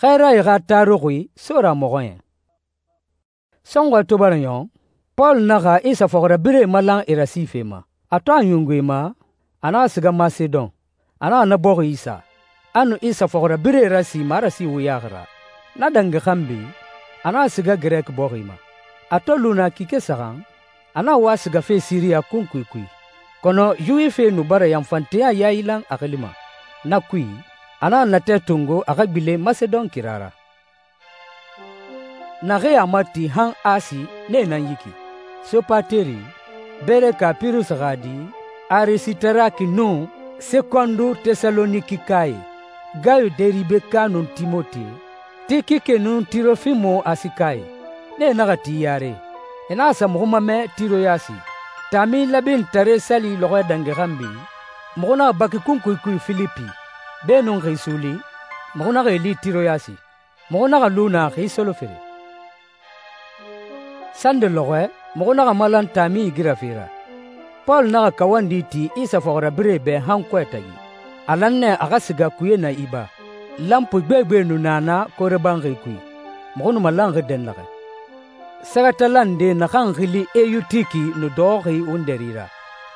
Xɛɛrae xa taruxi Sora Mɔxɔɲɛn. Sɔnxɔɛ to bara ɲɔn, Pɔlu naxa Isa fɔxirabirɛe malan e rasife ma. A to a ɲungu e ma, a naxa siga Masedon. A naxa na bɔxi isa, a nu Isa fɔxirabirɛe rasi marasi wuyaxi ra. Na dangi xanbi, a naxa siga Girɛki bɔxi ma. A to lu na kike saxan, a naxa wa sigafe Siriya kunkui kui. Kɔnɔ Yuwifie nu bara yanfanteya yailan a xili ma. Na kui, a naxa natɛ tongo a xa gbilen Masedon kira ra. Naxee a mati han Asi, nee nan yi ki: Sopateri, Bereka Pirusi xa di, Arisitaraki nun Sekondu Tesalonikae, Gayo Deribeka nun Timote, Tikike nun Tirofimu Asikae. Nee naxa ti yare. E naxa sa muxu mamɛ Tiroyasi. Taami labintare sali lɔxɔɛ dangi xanbi, muxu naxa baki kunkui kui Filipi. Beenun xi suuli, muxu naxa e li Tiroyasi. Muxu naxa lu naa xi solofere. Sande lɔxɔɛ, muxu naxa malan taami igirafe ra. Pɔlu naxa kawandi ti Isa fɔxirabirɛe bɛ han kɔɛ tagi. A lan nɛ a xa siga kuye na iba. Lanpui gbegbe nu na na korebanxi kui. Muxu nu malanxi dɛnnaxɛ. Sɛgɛtala nde naxan xili Eyutiki nu dɔxɔxi wundɛri ra.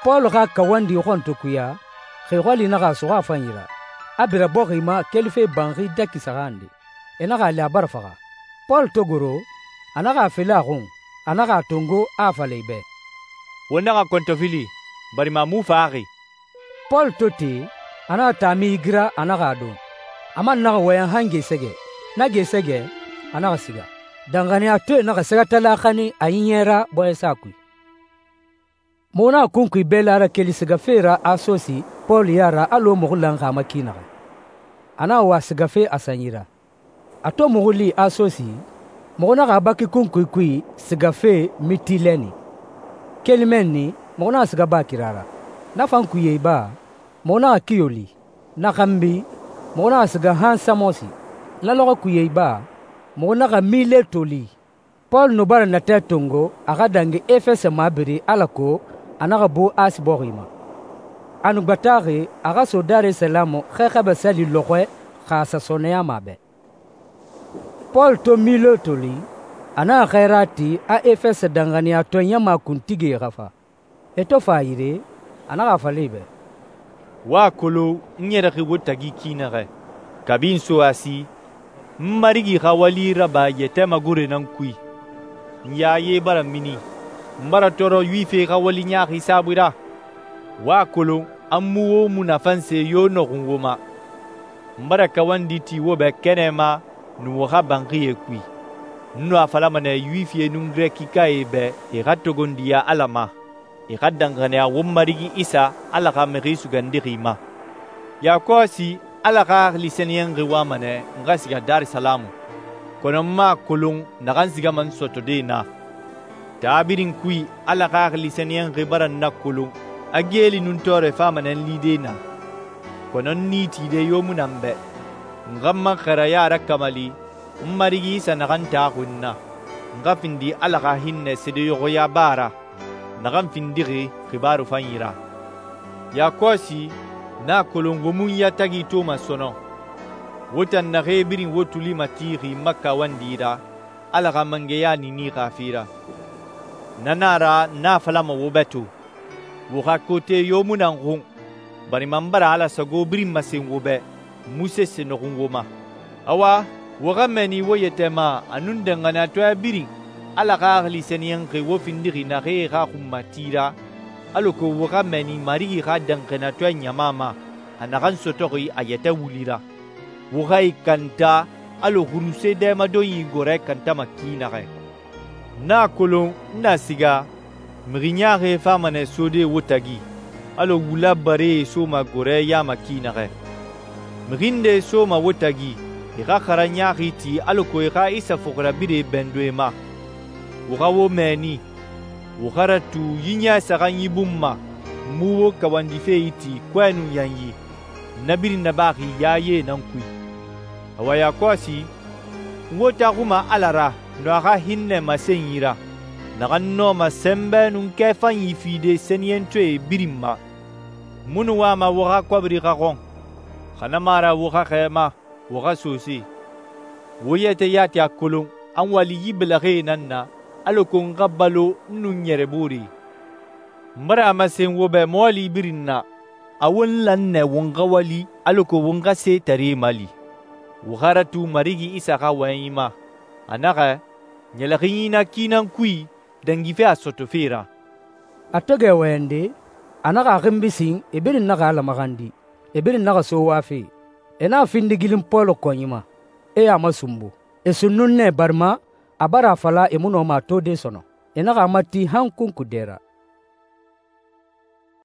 Pɔlu xa kawandi xɔntokuya, xi xɔli naxa a suxu a fanyi ra, a bira bɔxi ma kelife banxi daki saxan nde. E naxa a li a bara faxa. Pɔlu to goro, a naxa a felen a xun, a naxa a tongo, a a fala e bɛ: «Wo naxa kɔntɔfili, barima a mu faxi.» Pɔlu to te, a naxa taami igira, a naxa a don. A man naxa wɔyɛn han gesɛgɛ. Na gesɛgɛ, a naxa siga. Danxaniyatɔɛe naxa sɛgɛtala xanin a ɲiɲɛ ra bɔɲɛsa kui. Muxu naxa kunkui bɛɛla rakeli sigafe ra Asosi Pɔlu ya ra alɔ muxu lanxi a ma ki naxɛ. A naxa wa sigafe a sanyi ra. A to muxu li Asosi, muxu naxa a baki kunkui kui sigafe Mitilɛni. Keli mɛnni, muxu naxa siga baa kira ra. Na fan kuye iba, muxu naxa Kiyo li. Na xanbi, muxu naxa siga han Samosi. Na lɔxɔ kuye iba, muxu naxa Mileto li. Pɔlu nu bara natɛ tongo a xa dangi Efɛsɛ mabiri alako a naxa bu Asi bɔxi ma. A nu gbataxi a xa so Darisalamu xɛxɛbɛ sali lɔxɔɛ xa a sa sɔnɛyama a bɛ. Pɔlu to Mileto li, a naxa xɛɛra ti a Efɛsɛ danxaniyatɔ ɲama kuntigie xa fa. E to fa a yire, a naxa a fala e bɛ: «Wo a kolon n ɲɛrɛxi wo tagi ki naxɛ. Kabi n so Asi, n Marigi xa wali raba yɛtɛ magore nan kui. N yaye bara mini, n bara tɔɔrɔ Yuwifie xa wali ɲaaxi saabui ra. Wo a kolon an mu wo munafanse yo nɔxun wo ma. N bara kawandi ti wo bɛ kɛnɛ ma nun wo xa banxie kui. N nu a falama nɛ Yuwifie nun Girɛkikae bɛ e xa togondiya Ala ma, e xa danxaniya wo Marigi Isa Ala xa Mixi Sugandixi ma. Yakɔsi Ala xa xili sɛniyɛnxi wama nɛ n xa siga Darisalamu, kɔnɔ n ma a kolon naxan sigama n sɔtɔde na. Taa birin kui Ala xa xili sɛniyɛnxi bara n nakolon a geeli nun tɔɔrɛ fama nɛ n lide na, kɔnɔ n ni tide yo mu na n bɛ. N xa n ma xɛrɛya rakamali n Marigi Isa naxan taxuxi n na, n xa findi Ala xa hinnɛ seedeɲɔxɔya ba ra, naxan findixi xibaaru fanyi ra. Yakɔsi n'a a kolon wo mu n yatagi toma sɔnɔ. Wo tan naxee birin wo tuli matixi n ma kawandi ra Ala xa mangɛya niini xa fe ra. Na nan a ra n'a falama wo bɛ to, wo xa kote yo mu nan xun, barima n bara Ala sago birin masen wo bɛ, n mu sese nɔxun wo ma. Awa, wo xa mɛni wo yɛtɛ ma a nun danxaniyatɔya birin Ala xa xili sɛniyɛnxi wo findixi naxee xa xunmati ra, alako wo xa mɛni Marigi xa danxaniyatɔya ɲama ma a naxan sɔtɔxi a yɛtɛ wuli ra. Wo xa i kanta alɔ xuruse dɛmadonyi gɔrɛ kantama ki naxɛ. N'a a kolon n na siga, mixi ɲaaxie fama nɛ sode wo tagi, alɔ wula baree soma gɔrɛ yama ki naxɛ. Mixi nde soma wo tagi, i xa xara ɲaaxi ti alako i xa Isa fɔxirabirɛe bɛndo e ma. Wo xa wo mɛɛni, wo xa ratu yi ɲɛ saxan yi bun ma, n mu wo kawandife yi ti kɔɛ nun yanyi, na birin nabaxi yaye nan kui. Awa yakɔsi, n wo taxuma Ala ra nun a xa hinnɛ masenyi ra, naxan nɔma sɛnbɛ nun kɛfanyi fide sɛniyɛntɔɛe birin ma. Munu wama wo xa kɔbiri xa xɔn, xa na ma ra wo xa xɛɛma, wo xa sose. Wo yɛtɛ yati a kolon a n wali yi bɛlɛxɛe nan na alako n xa balo n nun n ɲɛrɛ booree. N bara a masen wo bɛ mɔɔli birin na, a won lan nɛ won xa wali alako won xa setaree mali. Wo xa ratu Marigi Isa xa wɔyɛnyi ma. A naxɛ, ɲɛlɛxinyi na ki nan kui dangife a sɔtɔfe ra.» A to gɛ wɔyɛnde, a naxa a xinbi sin, e birin naxa Ala maxandi. E birin naxa so wafe. E naxa findi gilin Pɔlu kɔnyi ma, e a masunbu. E sunnun nɛ barima a bara a fala e mu nɔma a tode sɔnɔn. E naxa a mati han kunkudɛ ra.